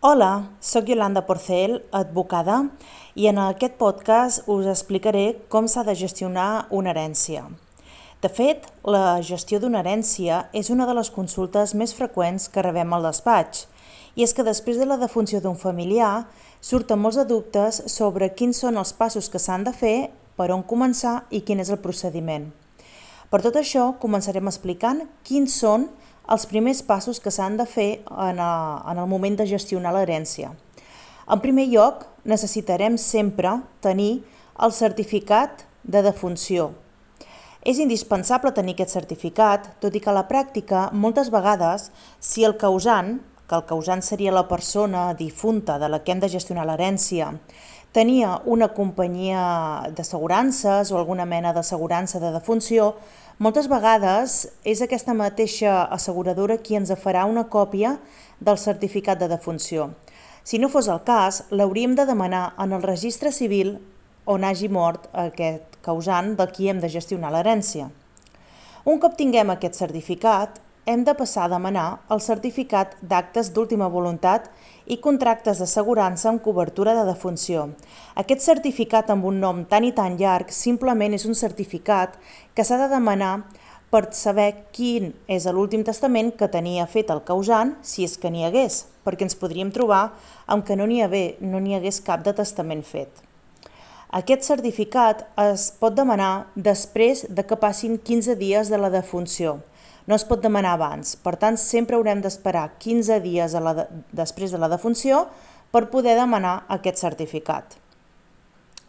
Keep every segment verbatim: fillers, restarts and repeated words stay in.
Hola, sóc Yolanda Porcel, advocada, i en aquest podcast us explicaré com s'ha de gestionar una herència. De fet, la gestió d'una herència és una de les consultes més freqüents que rebem al despatx, i és que després de la defunció d'un familiar surten molts de dubtes sobre quins són els passos que s'han de fer, per on començar i quin és el procediment. Per tot això, començarem explicant quins són els primers passos que s'han de fer en el moment de gestionar l'herència. En primer lloc, necessitarem sempre tenir el certificat de defunció. És indispensable tenir aquest certificat, tot i que a la pràctica, moltes vegades, si el causant, que el causant seria la persona difunta de la que hem de gestionar l'herència, tenia una companyia d'assegurances o alguna mena d'assegurança de defunció, moltes vegades és aquesta mateixa asseguradora qui ens farà una còpia del certificat de defunció. Si no fos el cas, l'hauríem de demanar en el registre civil on hagi mort aquest causant de qui hem de gestionar l'herència. Un cop tinguem aquest certificat, hem de passar a demanar el certificat d'actes d'última voluntat i contractes d'assegurança amb cobertura de defunció. Aquest certificat amb un nom tan i tan llarg simplement és un certificat que s'ha de demanar per saber quin és l'últim testament que tenia fet el causant, si és que n'hi hagués, perquè ens podríem trobar amb que no n'hi no n'hi hagués cap de testament fet. Aquest certificat es pot demanar després de que passin quinze dies de la defunció. No es pot demanar abans, per tant sempre haurem d'esperar quinze dies a la de... després de la defunció per poder demanar aquest certificat.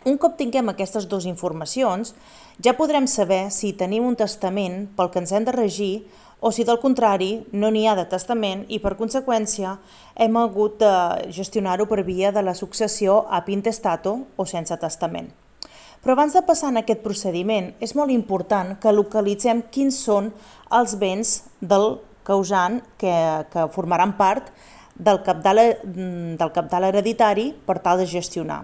Un cop tinguem aquestes dues informacions, ja podrem saber si tenim un testament pel que ens hem de regir o si del contrari no n'hi ha de testament i per conseqüència hem hagut de gestionar-ho per via de la successió ab intestato o sense testament. Però abans de passar en aquest procediment, és molt important que localitzem quins són els béns del causant que, que formaran part del cabdal, del cabdal hereditari per tal de gestionar.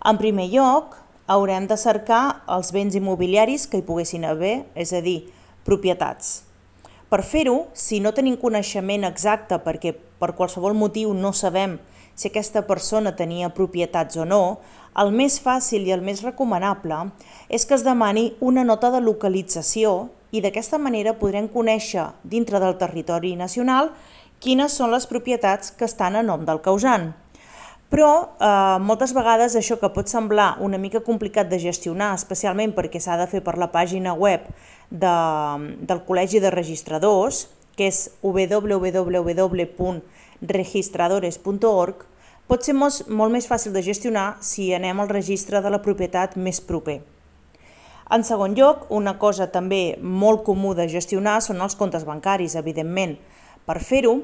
En primer lloc, haurem de cercar els béns immobiliaris que hi poguessin haver, és a dir, propietats. Per fer-ho, si no tenim coneixement exacte perquè per qualsevol motiu no sabem si aquesta persona tenia propietats o no, el més fàcil i el més recomanable és que es demani una nota de localització i d'aquesta manera podrem conèixer dintre del territori nacional quines són les propietats que estan a nom del causant. Però eh, moltes vegades això que pot semblar una mica complicat de gestionar, especialment perquè s'ha de fer per la pàgina web de, del Col·legi de Registradors, que és w w w punt registradores punt org, pot ser molt, molt més fàcil de gestionar si anem al registre de la propietat més proper. En segon lloc, una cosa també molt comú de gestionar són els comptes bancaris, evidentment. Per fer-ho,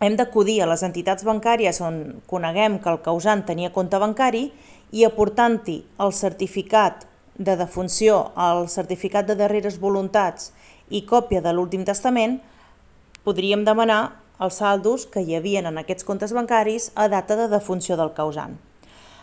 hem d'acudir a les entitats bancàries on coneguem que el causant tenia compte bancari i aportant-hi el certificat de defunció, el certificat de darreres voluntats i còpia de l'últim testament, podríem demanar els saldos que hi havia en aquests comptes bancaris a data de defunció del causant.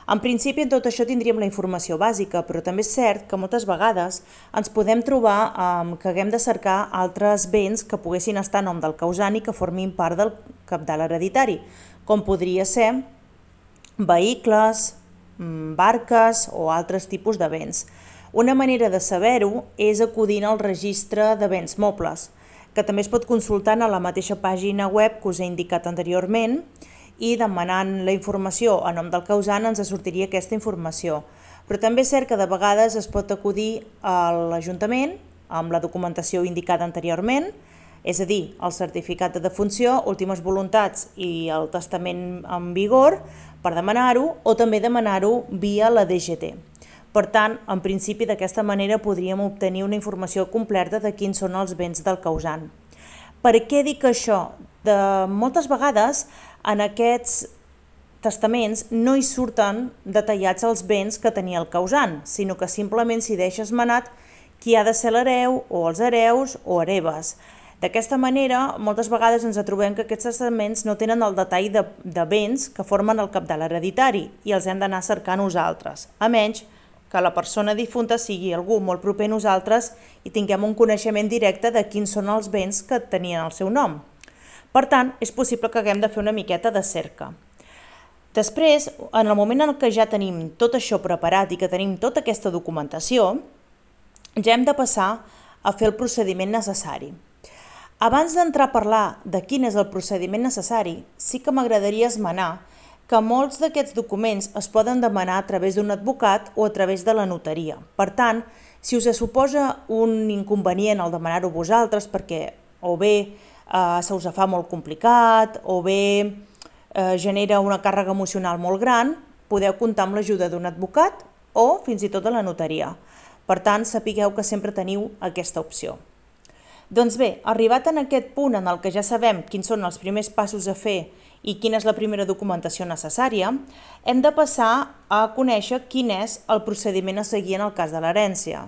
En principi, en tot això tindríem la informació bàsica, però també és cert que moltes vegades ens podem trobar eh, que haguem de cercar altres béns que poguessin estar a nom del causant i que formin part del cabdal hereditari, com podria ser vehicles, barques o altres tipus de béns. Una manera de saber-ho és acudint al registre de béns mobles, que també es pot consultar a la mateixa pàgina web que us he indicat anteriorment i demanant la informació a nom del causant ens sortiria aquesta informació. Però també és cert que de vegades es pot acudir a l'Ajuntament amb la documentació indicada anteriorment, és a dir, el certificat de defunció, últimes voluntats i el testament en vigor per demanar-ho o també demanar-ho via la D G T. Per tant, en principi d'aquesta manera podríem obtenir una informació completa de quins són els béns del causant. Per què dic això? De moltes vegades en aquests testaments no hi surten detallats els béns que tenia el causant, sinó que simplement s'hi deixa esmenat qui ha de ser l'hereu o els hereus o hereves. D'aquesta manera, moltes vegades ens trobem que aquests testaments no tenen el detall de, de béns que formen el cabdal hereditari i els hem d'anar a cercar nosaltres, a menys que la persona difunta sigui algú molt proper a nosaltres i tinguem un coneixement directe de quins són els béns que tenien el seu nom. Per tant, és possible que haguem de fer una miqueta de cerca. Després, en el moment en què ja tenim tot això preparat i que tenim tota aquesta documentació, ja hem de passar a fer el procediment necessari. Abans d'entrar a parlar de quin és el procediment necessari, sí que m'agradaria esmenar que molts d'aquests documents es poden demanar a través d'un advocat o a través de la notaria. Per tant, si us suposa un inconvenient el demanar-ho vosaltres perquè o bé eh, se us fa molt complicat o bé eh, genera una càrrega emocional molt gran, podeu comptar amb l'ajuda d'un advocat o fins i tot de la notaria. Per tant, sapigueu que sempre teniu aquesta opció. Doncs bé, arribat en aquest punt en el que ja sabem quins són els primers passos a fer i quina és la primera documentació necessària, hem de passar a conèixer quin és el procediment a seguir en el cas de l'herència.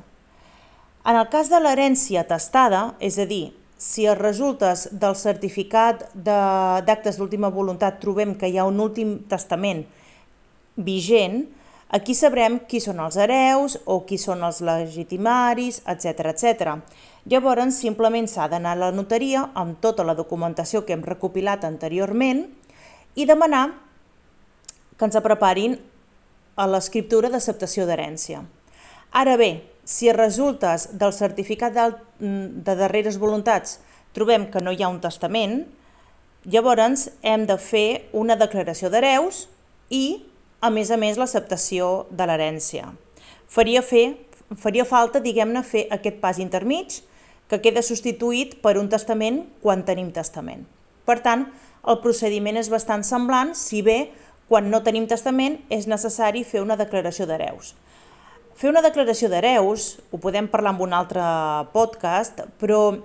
En el cas de l'herència atestada, és a dir, si als resultes del certificat d'actes d'última voluntat trobem que hi ha un últim testament vigent, aquí sabrem qui són els hereus o qui són els legitimaris, etcètera, etcètera. Llavors, simplement s'ha d'anar a la notaria amb tota la documentació que hem recopilat anteriorment i demanar que ens preparin a l'escriptura d'acceptació d'herència. Ara bé, si a resultes del certificat de darreres voluntats trobem que no hi ha un testament, llavors hem de fer una declaració d'hereus i, a més a més, l'acceptació de l'herència. Faria, fer, faria falta, diguem-ne, fer aquest pas intermig que queda substituït per un testament quan tenim testament. Per tant, el procediment és bastant semblant, si bé quan no tenim testament és necessari fer una declaració d'hereus. Fer una declaració d'hereus, ho podem parlar en un altre podcast, però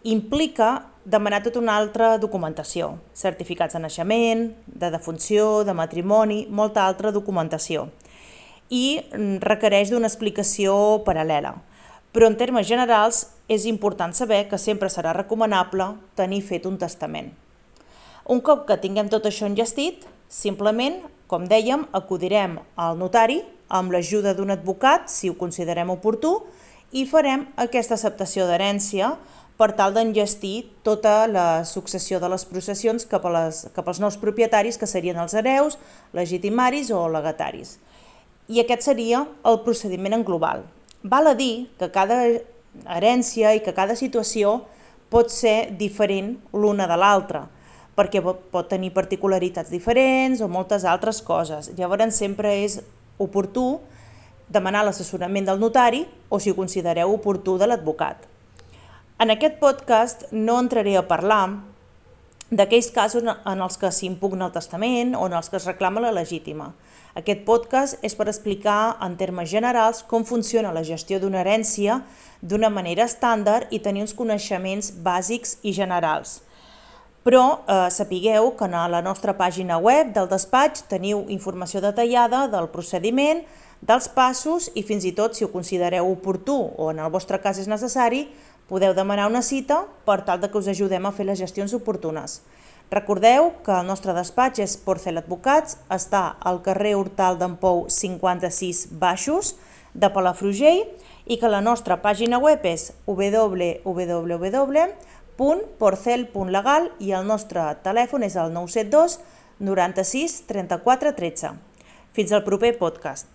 implica demanar tota una altra documentació, certificats de naixement, de defunció, de matrimoni, molta altra documentació, i requereix d'una explicació paral·lela. Però en termes generals és important saber que sempre serà recomanable tenir fet un testament. Un cop que tinguem tot això enllestit, simplement, com dèiem, acudirem al notari amb l'ajuda d'un advocat, si ho considerem oportú, i farem aquesta acceptació d'herència per tal d'enllestir tota la successió de les processions cap, a les, cap als nous propietaris, que serien els hereus, legitimaris o legataris. I aquest seria el procediment en global. Val a dir que cada herència i que cada situació pot ser diferent l'una de l'altra, perquè pot tenir particularitats diferents o moltes altres coses. Llavors sempre és oportú demanar l'assessorament del notari o, si ho considereu oportú, de l'advocat. En aquest podcast no entraré a parlar d'aquells casos en els que s'impugna el testament o en els que es reclama la legítima. Aquest podcast és per explicar en termes generals com funciona la gestió d'una herència d'una manera estàndard i tenir uns coneixements bàsics i generals. Però eh, sapigueu que a la nostra pàgina web del despatx teniu informació detallada del procediment, dels passos i fins i tot, si ho considereu oportú o en el vostre cas és necessari, podeu demanar una cita per tal que us ajudem a fer les gestions oportunes. Recordeu que el nostre despatx és Porcel Advocats, està al carrer Hortal d'en Pou cinquanta-sis Baixos de Palafrugell i que la nostra pàgina web és w w w punt porcel punt legal i el nostre telèfon és el nou set dos noranta-sis trenta-quatre tretze. Fins al proper podcast.